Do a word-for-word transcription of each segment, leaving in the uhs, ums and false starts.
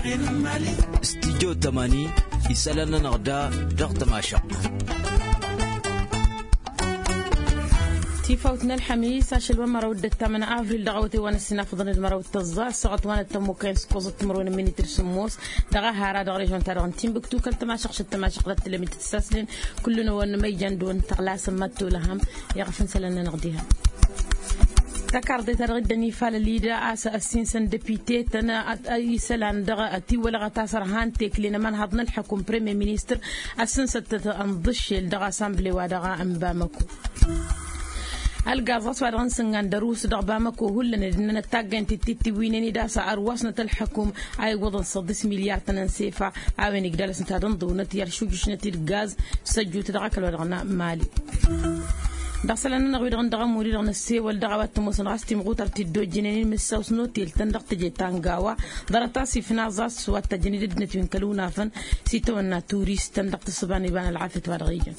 Studyo tămani isălan-nănăɣ da dăɣ-tămašăɣt. Tifawt n-ălḥămis ašăl wa măraw d-ăttamăn avril dăɣ-awătay wa n-ăssinafăḍăn d-măraw d-tăẓẓa ăssaɣăt wa n-ăttămmukăyăn s-kuẓăt timǝrwen n-minitri sǝmmos dăɣ-ehara dăɣ-režon-ta-dăɣ n-timbuktu kăl-tămašăɣt šăt tămašăɣt dăɣ-tǝlămit d-saslen. Kullu-năwăn ma ijan dăɣ-wăn tăɣlasăn mad-tolăhăm i-ɣăf n-isălan-nănăɣ diha. Takarḍe-ta-dăɣ dd-ănifalăl-i da a-s ăssinsăn depite-tăn isălan dăɣ-tiwălăɣăt a-s ărhan tekle n-ămanhaḍ n-ălḥăkum premier ministăr. Ăssinsăt-tăt ănḍǝššel dăɣ-asamble-wa-dăɣ n-bamăko. Ălgaẓ ɣas wa dăɣ-n sǝngan d-ărus dăɣ-bamăko hullan ed ǝnnănăt taggăyăn tittiwinen-dd a-s ărwasnăt ălḥăkum a iwwăḍăn săḍis milyar-tăn n-sefa. A-wen igdalăsnăt ad-ǝnḍǝwnăt i-ad-šujǝšnăt-dd gaz s-ăjjut dăɣ-ăkall wa dăɣ-nămali. Dăɣ-isălan-nănăɣ wi-dăɣ n-dăɣ ămuri-dăɣ n-ăssewăl dăɣ-a-wa t-ămoosăn ɣas timɣutăr ti dd-ojjǝnen i-mǝssaw s-notel-tăn dăɣ-teje ta n-gawa. Ḍarăt-as ifnaẓ a-s wa t-ăjjăn i-dd-ăddinăt wi n-kăl-unafăn s-itawănna turist-tăn dăɣ-tǝssǝba n-iba n-ălɣafyăt wa dăɣ-ijăn.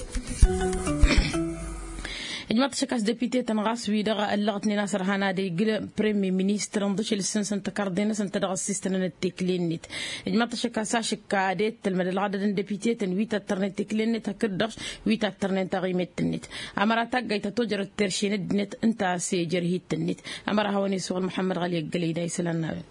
Ijmaḍ-t ašăk a-s depite-tăn ɣas wi-dăɣ ăllăɣătnen a-s ărhan ad-igǝl premier ministăr ǝnḍǝšel ǝssǝnsăn tăkarḍe-năsăn ta dăɣ-ăssistănănăt tekle-net. Ijmaḍ-t ašăk a-s ašǝkka ad-e-t tălmăd ălɣădăd n-depite-tăn wi ta t-tărnet tekle-net hakd-dăɣ wi ta t-tărnen taɣimet-net. Ămăra taggayt ta tojărăt terše n-ăddinăt ǝnta a-s ejăr hit-net. Ămăra hawăn-isuɣǝl muḥămmăd ɣali ăggălăy da isălan n-a-wen.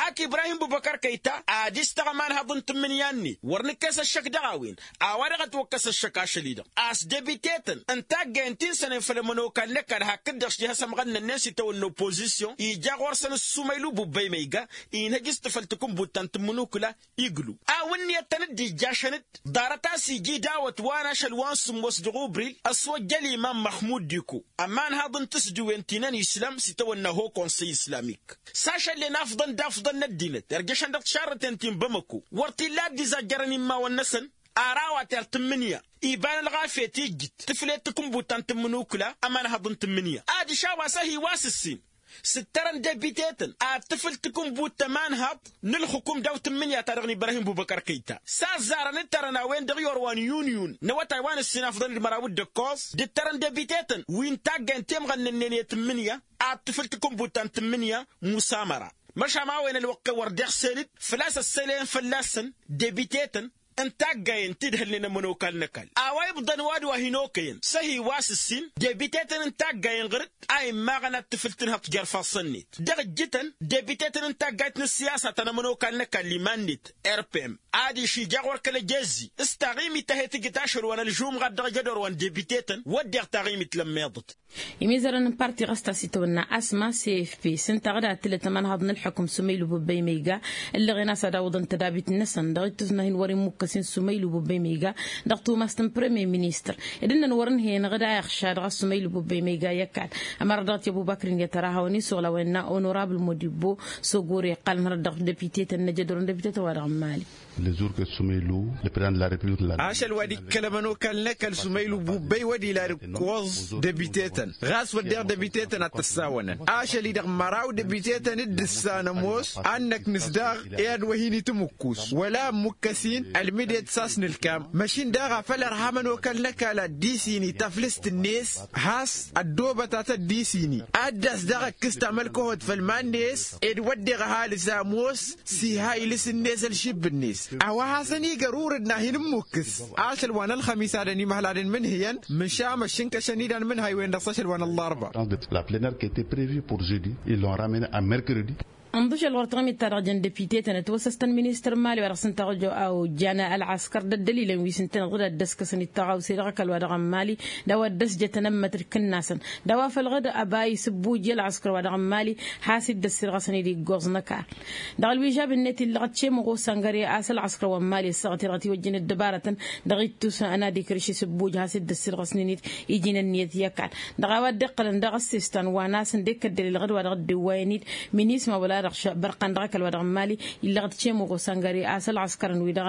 Ak ibrahim bubăkăr kăyta ad-istăɣ ămanhăḍ n-tǝmmǝnǝya-net wăr nǝkkes ăššăk dăɣ-a-wen. A-wa-dăɣ ătwăkkăs ăššăk ašăl-i-dăɣ a-s debite-tăn n-taggayăn ti n-sănen făll-ămănokal n-ăkall hakd-dăɣ s-dd-ihăs ămɣănnănnen s-itawănna opozisyon ija ɣur-săn ǝssumăylu bubbăy ma iga inhăj s-tǝfăl takǝnbut ta n-tǝmmǝnukǝla. Iglu a-wa ǝnniyăt tăn-dd-ijjašăn-dd ḍarăt a-s ija idawăt wa n-ašăl wa n-sǝmmos dăɣ-ubril ăswăjjăl imam măxmud diko ămanhăḍ n-tǝsdǝwen ti n-ănislăm s-itawănna ho konsăy islamik. S-ašăllen afḍăn d-afḍăn n-ăddinăt irjăšăn dăɣ-tišarrǝten ti n-bamăko wăr t-illa a dd-izajjărăn immawăn-năsăn. Ar a-wa ter-tǝmmǝnǝya iba n-ălɣafyăt ijjǝt tǝflet takǝnbut ta n-tǝmmǝnukǝla ămanhăḍ n-tǝmmǝnǝya adiš a-wa s-ăhi wa s-ǝssin s-ǝttărăn debite-tăn ad-tǝfǝl takǝnbut ta ămanhăḍ n-ǝlxǝkum daw-tǝmmǝnǝya-ta-dăɣ n-ibrahim bubăkăr kăyta. S-a ăzzarăn ǝttărăn a-wen-dăɣ i-orwa n-yunyun n-awătay wa n-ǝssin afḍăn d-măraw d-ǝkkoẓ dd-ǝttărăn debite-tăn wi n-taggayăn temɣănnănnen i-tǝmmǝnǝya ad-tǝfǝl takǝnbut ta n-tǝmmǝnǝya. Musamăra măšan a-wen ălwăqq-en wăr d-iɣsel-dd făl-a-s ăssălăyăn fălla-săn debite-tăn n-taggayen ti dd-hălnen ămănokal n-ăkall a-wa ibḍăn wa d-wa hin-okăyăn s-ăhi wa s-ǝssin debite-tăn n-taggayen ɣǝr-dd a immaɣăn ad-tǝfǝl tǝnhăḍt jer-ifassăn-net. Dăɣ-ǝjjǝtăn debite-tăn n-taggayt n-ǝssiyasa ta n-ămănokal n-ăkall iman-net rpm adiš ija ɣur-kăl-ăjezzi s-taɣimit ta he-tǝjǝt ašăl wa n-ălžumɣat dăɣ-ejădor wa n-debite-tăn wădden taɣimit lămmiḍăt. Imizărăn n-parti ɣas ta s-itwănna asma cfp s-ǝnta ɣǝd ad-tǝlăt ămanhăḍ n-ălḥukǝm sumaylu bubbăy ma iga ǝllăɣen a-s ad-awǝḍăn tădabit-năsăn dăɣ-ittus n-ad-hin-wăr-immukkas-in sumaylu bubbăy ma iga dăɣ-tumast n-premier ministăr. Ed ǝnnăn wăr-ǝnhăyăn ɣǝd a iɣša dăɣ-a sumaylu bubbăy ma iga i-ăkall. Ămăra dăɣ-t i-ăbubakr inget ăra hawăn-isuɣǝl a-wa innă onorabl modibbo s-ogor iqqălăn hărăt dăɣ-depite-tăn n-ejădor n-depite-tăn wa dăɣ-n mali. Lăzur kăl-sumaylu lăpădan la repiblik n-la. Ašăl wa d-ikkăl ămănokal n-ăkall sumaylu bubbăy wăr dd-ila d-ǝkkoẓ debite-tăn ɣas wădden debite-tăn ad-t-ăssawănăn. Ašăl-i-dăɣ măraw debite-tăn dd-ǝssan ămoos ad-năknǝs daɣ i-ad-wăhin-itǝmǝkkus wăla ămmukkăs-in ălmǝdet s-a-s nǝlkam. Măšin daɣ afăl ărha ămănokal n-ăkall ad-dd-isini taflǝst-net has-ăddoobăt a tădd-isini ad-dd-as daɣ ǝkkǝs tamălkăhot făll-iman-net ed wădden ăhalǝs ămoos s-iha ilǝs-net ălšǝbb-net. A-wa hasăn-iga ărurǝd n-ad-hin-ǝmmukkǝs ašăl wa n-ălxămis ad-ănimăhladăn imǝnhǝyăn măšan măššǝnkăšăn-dd anmǝnhăy-wen-dăɣ s-ašăl wa n-ăllarba. La plenare qui était prevue pour jeudi ils l'ont ramenée à mercredi. Ǝnḍǝšăl ɣur-taɣimit-ta-dăɣ jăn depite-tăn ătwăsăstăn ministăr n-mali wa dăɣ-s ǝnta a ojjan ălɣăskăr d-ăddălilăn wi s-ǝntăneḍ ɣǝd ad-dd-ăskăsăn i-taɣawse dăɣ-ăkall wa dăɣ-n mali d-a-wa dd-ăsjătăn ămmătăd kǝnnasăn d-a-wa făl ɣǝd ăba isǝbbuj i-ălɣăskăr wa dăɣ-n mali. Has-dd-ăssirɣăsăn-dd iggoẓ n-ăkall dăɣ-ălwižab-net illăɣăt šemoɣ osangăre a-s ălɣăskăr wa n-mali ăssaɣăt i-dăɣ ătiwăjjăn ăddăbarătăn dăɣ-ittus n-ad-ikr išisǝbbuj has-dd-ăssirɣăsnen-dd iji n-ǝnniyăt i-ăkall. Dăɣ-a-wa dd-iqqălăn daɣ ăssestan wa n-asăn d-ekăddălil ɣǝd wa dăɣ-dd-ǝwwayăn-dd minisma wăla dăɣ-bărqan dăɣ-ăkall wa dăɣ-n mali illăɣăt šemoɣ osangăre a-s ălɣăskărăn wi-dăɣ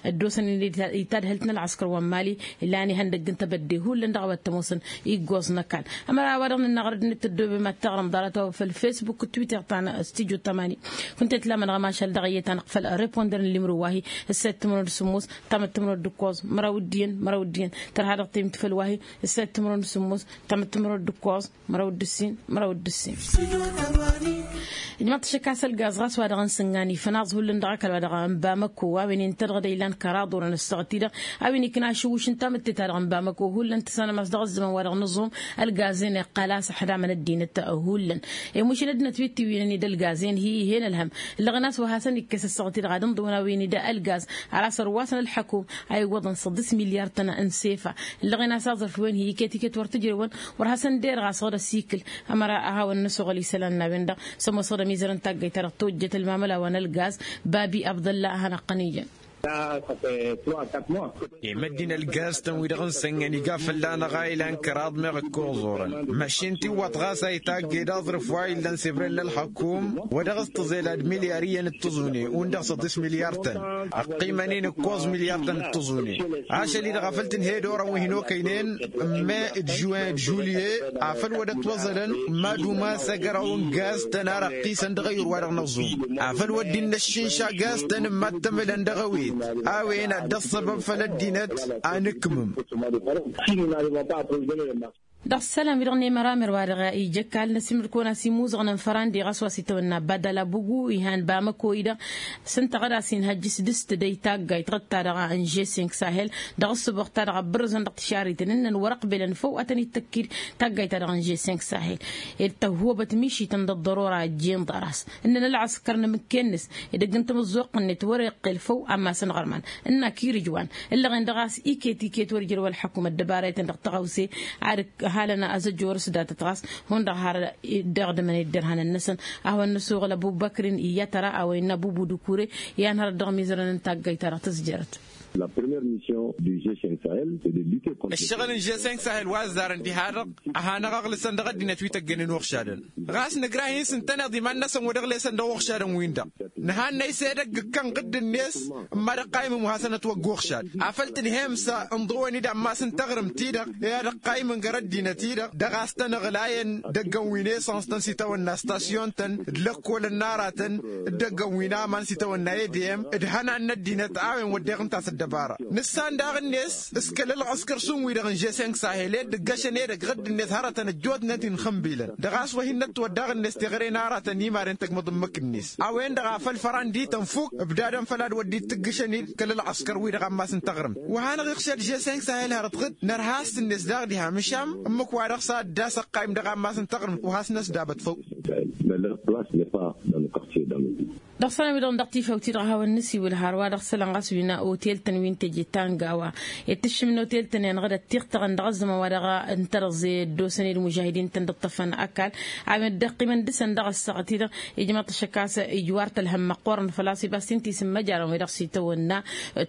ăddoosăn-dd i-tadhǝlt n-ălɣăskăr wa n-mali. Illa n-ihăndăgg n-tebădde hullan dăɣ-a-wa t-ămoosăn iggoẓ n-ăkall. Ămăra a-wa dăɣ-nǝnna ɣărăd-net tăddoobem ad-taɣrǝm ḍarăt-a-wa făll-facebook d-twitter ta n-studyo tămani. Kunta i-tǝlamănăɣ ămašal dăɣ-iyyăt a năqfăl reponder n-limru wa-hi ǝssa i-tǝmrăwăn d-sǝmmos tamăttămrăwăn d-ǝkkoẓ măraw d-iyyăn măraw d-iyyăn tărha dăɣ-temǝtfăl wa-hi ǝssa i-tǝmrăwăn d-sǝmmos tamăttămrăwăn d-ǝkkoẓ măraw d-ǝssin măraw d-ǝssin. Ijmaḍ-t Tăkkas ălgaz ɣas wa dăɣ-n sǝngan ifănaẓ hullan dăɣ-ăkall wa dăɣ-n bamăko a-wen intădăɣ d-ilan kăraḍ orăn ăssaɣăt-i-dăɣ. A-wen ikna ašǝwwǝš n-tamǝtte-ta-dăɣ n-bamăko hullan tǝssanăm a-s dăɣ-ăzzăman wa dăɣ-nǝẓum. Ălgaz-en iqqal a-s ăḥdamăn ăddinăt hullan. Imušǝl ăddinăt wi t-iwwinăn-dd ălgaz-en hi-ihen ălhăm. Ǝllăɣen a-s wa hasăn-ikkes ăssaɣăt-i-dăɣ ad-ǝnḍǝwăn a-wen-dd ălgaz. Ar a-s ărwasăn ălḥăkum a iwwăḍăn săḍis milyar-tăn n-sefa. Ǝllăɣen a-s aẓrǝf-wen hi-iket-iket wăr t-ǝjrewăn. Wăr hasăn-derăɣ a-s ɣur-ăsikǝl ămăra a hawăn-năsoɣăl isălan n-a-wen-dăɣ. Sămoosăɣ d-ămizărăn taggayt-ta-dăɣ tojjăt ălmamăla wa n-ălgaz. Babi abdălla a hanăɣ-tăn-ijăn. Imăddin ălgaz-tăn-wi-dăɣ n-sănnăn iga fălla-năɣ a ilan kăraḍ meɣ ǝkkoẓ orăn. Măšin tiwwăḍ ɣas a itaggăy d-aẓrǝf wa illăn s-ebrel n-ălxăkum wa dăɣ-s tǝẓel ad-milyar iyyăn d-tǝẓune. Undăɣ săḍis milyar-tăn. Ăqqimăn-in ǝkkoẓ milyar-tăn d-tǝẓune. Ašăl-i-dăɣ afăl tǝnhăyăd orăn wi hin-okăynen. Ǝmme d-žuwen d-žulye afăl wăr dd-ătwăẓălăn. Mad-umas agăraw n-gaz-tăn ar ăqqisăn dăɣ-eyur wa dăɣ-năẓum. Afăl wăr dd-innăššǝnša gaz-tăn n-mad-tămǝlăn dăɣ-ewet. A-wen ad-dd-ăṣṣăbăb făll-ăddinăt. Anǝkmǝm. Dăɣ-isălan-wi-dăɣ n-emăramer wa dăɣ-ija ǝkall n-ăsimǝrkăwăn a-s imuzăɣăn n-fărandi ɣas wa s-itawănna badala bugu ihan bamăko-i-dăɣ. S-ǝnta ɣad-as-inhăjjǝs d-s tǝdăy taggayt ɣǝd-ta-dăɣ n-žeseng sahel. Dăɣ-ǝssǝboɣ-ta-dăɣ ăbbărǝzăn dăɣ-tišariten ǝnnăn wăr-ăqbelăn făw ad-tăn-dd-tăkkid taggayt-ta-dăɣ n-žeseng sahel. Ed tăhhobăt mišităn d-ăḍḍărora ăjjeen ḍaras ǝnnăn ălɣăskăr n-amǝkken-nǝs. Edăgg n-tamǝzzuɣt-net wăr-iqqel făw ammas n-iɣărman ǝnn'-ak irǝjwan. Ǝllăɣen-dăɣ a-s iket-iket wăr ijrăw ălḥăkum ăddăbaraytăn dăɣ-tăɣawse. Ad-ǝkk halăn azăjjor s-datăt ɣas hundăɣ har dd-iɣdǝmăn i-dd-irhanăn-năsăn. A hawăn-năsuɣǝl ăbubăkrin iyyăt ăra a-wa innă bubu d-ukure. I-anhărăt dăɣ-imizărăn n-taggayt-ta-dăɣ tǝzjărăt. Ăššăɣǝl n-žeseng sahel wa ăzzarăn diha-dăɣ a hanăɣ-ăɣlǝsăn dăɣ-ăddinăt wi tăggănen uɣšadăn. Ɣas nǝgra-hin s-ǝntăneḍ iman-năsăn wa dăɣ-lesăn dăɣ-uɣšadăn-win-dăɣ. Nǝhannăy s-edăgg ǝkkăn ɣǝdd-net. N-mad-ăqqaymǝm wa hasăn-ătwăgg uɣšad afăl tǝdhem s-ǝnḍǝwăn-dd ammas n-taɣrǝmt-i-dăɣ i-ad-ăqqaymǝn găr-ăddinăt-i-dăɣ dăɣ-a-s tăn-ăɣlayăn. Dăgg-ănwi n-esăns-tăn s-itawănna stasyon-tăn d-lăkkolăn n-aratăn d-dăgg-ănwi n-aman s-itawănna edeyăm d-ihănan n-ăddinăt a-wen wădden ǝnta s-ăddăbara. Nǝssan daɣ-net s-kăl-ălɣăskăr šund wi-dăɣ n-žeseng sahel ed ǝggăšăn edăgg ɣǝdd-net hărătăn ăjjootnen inxǝmbilăn dăɣ-a-s wa hin-năttwăddaɣ-net teɣăre n-aratăn imaren tăgmăḍ ǝmmǝk-net. A-wen-dăɣ a făl fărandi tănfuk ǝbdadăn făll-ad-wădden tǝggǝšăn-dd kăl-ălɣăskăr-wi-dăɣ ammas n-taɣrǝmt wa hanăɣ-iɣšăd žeseng sahel hărăt ɣǝd nărha a-s ǝnnet daɣ diha măšan ǝmmǝk wa dăɣ-s a dd-ass ăqqaym dăɣ-ammas n-taɣrǝmt wa has-năsdabăt făw. Dăɣ-isălan wi-dăɣ dăɣ-tifawt-i-dăɣ a hawăn-nǝsiwǝl hărwa dăɣ-isălan ɣas wi n-otel-tăn wi n-teje ta n-gawa. Ed tǝššǝm n-otel-tăn i-anăɣ-dd ăttiɣtăɣăn dăɣ-ăzzăman wa dăɣ-ǝntărăẓe ăddoosăn-dd mužahidin-tăn dd-ǝṭṭăfăn ăkall. A-wen dd-ăqqimăn dăɣ-săn dăɣ-ăssaɣăt-i-dăɣ ijmăḍ-t ăššăk a-s ijwar tălhăm măqqoorăn făl-a-s ibas ti n-tisǝmmăjarăn wi-dăɣ s-itawănna.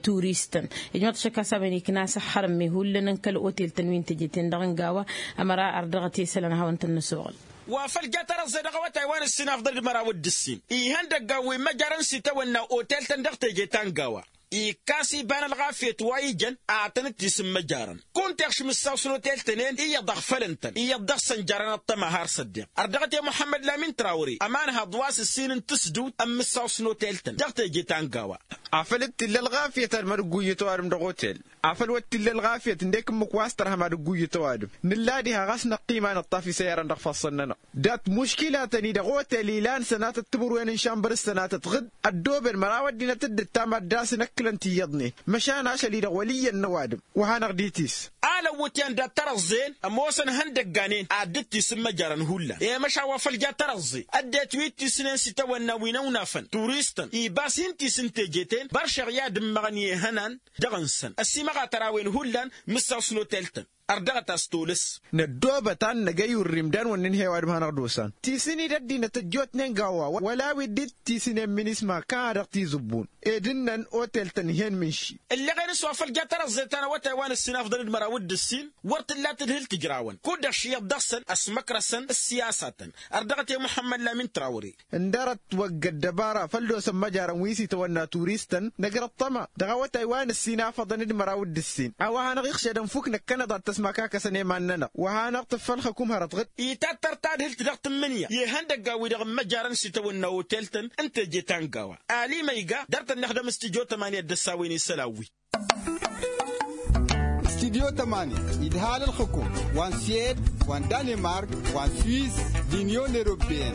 Turistăn ijmăḍ-t ăššăk a-s a-wen ikna s-ăxxărǝmme hullan n-kăl-otel-tăn wi n-teje-ten-dăɣ n-gawa. Ămăra ar dăɣ-t i-isălan a hawăn-tăn-năsoɣăl. Wa făl ja tărăẓẓe dăɣ-awătay wa n-ǝssin afḍăn d-măraw d-ǝssin ihăndăggan wi măjărăn s-itawănna otel-tăn dăɣ-teje ta n-gawa. Ikkas iba n-ălɣafyăt wa ijăn ad-tăn-dd-tisǝmmăjarăn kunta iɣš mǝssaw s-notel-tăn-en iyyăḍ ăɣfălăn-tăn iyyăḍ dăɣ-săn jarăn ăṭṭăma har s-ăddiɣ. Ărdăɣăt i-muḥămmăd lamin trawre ămanha ḍwas ǝssin n-tǝsdǝwt ămmǝssaw s-notel-tăn dăɣ-teje ta n-gawa. Afăl dd-t-illa ălɣafyăt ad-mad-ǝgguyǝt ăwadǝm dăɣ-otel. Afăl wăr t-illa ălɣafyăt ǝndek ǝmmǝk wa s-tărha mad-ǝgguyǝt ăwadǝm nǝlla diha ɣas năqqima nǝṭṭaf isăyarăn dăɣ-ifassăn-nănăɣ. Dat-muškilatăn-i dăɣ-otel ilan sănatăt timǝrwen n-šambăr s-sănatăt ɣǝd ăddooben măraw ăddinăt dd-ǝttam ad-dd-asǝn ǝkkǝlăn tiyyăḍnen. Măšan ašăl-i-dăɣ wăl' iyyăn n-ăwadǝm wa hanăɣ-dd-itis. Alăwwǝtyan dat-tărăẓẓen ămoosăn ihăndăgganen ad-dd-tisǝmmăjarăn hullan i-măšan wa făl ja tărăẓẓe ăddinăt wi t-isǝnen s-itawănna wi n-ăwnafăn turistăn ibas hin-tisǝn teje-ten băršeɣ i-ad-ǝmmăɣăn i-ihănan. Dăɣ-nǝsăn ăsimăɣatăr a-wen hullan mǝssaw s-notel-tăn. Ărdăɣăt a-s tolăs. Năddoobăt ad-năgăy urrim d-anwănnin he-ăwadǝm hanăɣ-dd-osan tisǝn-dd ăddinăt ăjjootnen gawa wăla wi dd-tisǝnen minisma kan a dăɣ-tizǝbbun. Ed ǝnnăn otel-tăn ih'-en mǝnši. Ǝlleɣen s-wa făl ja tărăẓẓe ta n-awătay wa n-ǝssin afḍăn d-măraw d-ǝssin wăr t-tǝlla tadhǝlt ǝjrawăn kud-dăɣ šiyăḍ dăɣ-săn ăsmăkrăsăn ǝssiyasatăn. Ărdăɣăt i-muḥămmăd lamin trawre. Ǝndărăt wăgg ăddăbara făl d-osăn măjarăn wi s-itawănna turistăn năgrăt tăma dăɣ-awătay wa n-ǝssin afăḍăn d-măraw d-ǝssin a-wa hanăɣ-iɣšădăn fuk năkkăneḍ ad-t-ăsmaka kăsăn i-iman-nănăɣ wa hanăɣ-tǝffăl xăkum hărăt ɣǝd. Itattăr tadhǝlt dăɣ-tǝmmǝnǝya i-ihăndăgga-wi-dăɣ n-măjarăn s-itawănna otel-tăn n-teje ta n-gawa. Ali măyga dăr-tăn-năxdăm s-tijo tămani ad-dd-ăssawăyăn isălan-wi. Studyo tămani idhal ălxǝkum wa n-suwed wa n-danemark wa n-swiss d-inyon europeyăn.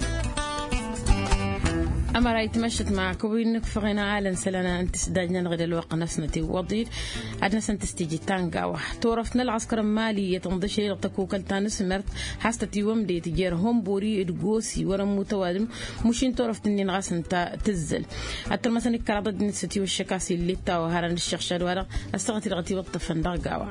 Ămăra itmăššăt ma kăwăn-nǝkfăɣen alăn isălan n-tisdajnăn ɣǝd ălwăqq-năsnăt iwwăḍ-dd ad-năsăn tǝstiji ta n-gawa. Turăft n-ălɣăskăr n-mali i-tănḍăšăy dăɣ-tăkukălt ta n-asmărt has-tătiwămdet jer-hombori d-gosi wăr-ămmut ăwadǝm. Mušin turăft-nin ɣas ǝnta tǝzzăl ad-tărmăsăn ikkăraḍ ăddinăt s-ătiwăššăk a-s ill'-e t-a-wa hărăn dd-iššăɣšad-wa-dăɣ ăssaɣăt-i dăɣ-ătiwăṭṭăfăn dăɣ-gawa.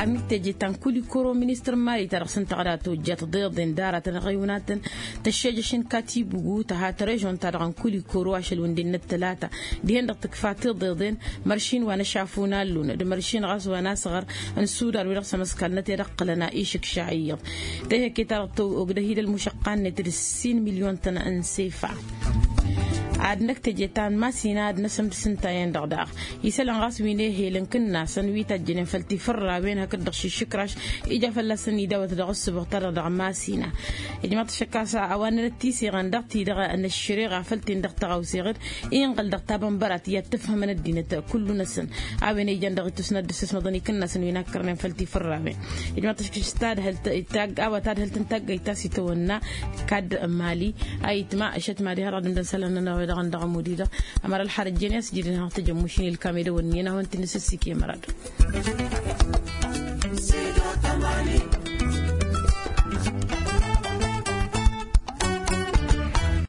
Ad-nǝkteje ta n-kulikoro ministăr n-mali ta dăɣ-săn tăɣra tojjat ḍeḍen d-aratăn ăɣiwǝnatăn tăššejăš n-katibugu tăha tărežon-ta-dăɣ n-kulikoro ašăl wǝndennăt tălata dihen-dăɣ tǝkfa tiḍeḍen. Măršin wa n-ašafu n-allun d-măršin ɣas wa n-asɣăr n-sudan wi-dăɣ s-ămăskalnăt i-ad-ǝqqǝlăn a išǝkša iyyăḍ tehăkke-ta-dăɣ tăwăgdăh-dd ălmušăqqa-net d-ǝssin milyon-tăn n-sefa. Ad-năkk teje ta n-masina ad-năsǝmdǝs ǝnta-en-dăɣ daɣ isălan ɣas wi n-ehel n-kǝnnasăn wi tajjănen făll-tifărrawen hakd-dăɣ šišǝkraš ija fălla-săn idawăt dăɣ-ǝssǝboɣ-ta-dăɣ dăɣ-masina. Ijmaḍ-t ašăk a-s a-wa n-anăt tiseɣăn dăɣ-ti-dăɣ n-ăššăreɣa făll-ten-dăɣ tăɣawseɣ-dd inɣăl dăɣ-tabănbărat i-ad-tǝfhǝmăn ăddinăt kullu-năsăn. A-wen ijan dăɣ-itwǝsna dd-ǝssǝsmăḍăn ikǝnnasăn wi n-akkărnen făll-tifărrawen. Ijmaḍ-t ašăk a-wa tadhǝlt n-taggayt ta s-itawănna kadd n-mali. A itma ašăt mad-iha dăɣ-dămdăn isălan-nănăɣ-wi-dăɣ n-dăɣ-ămud-i-dăɣ ămăra ălxarăt jen i-a-s jidăn hanăɣ-tăjămmušin ilkam-edăwănni n-ad-hawăn-t-in-nǝsǝssik i-mărad.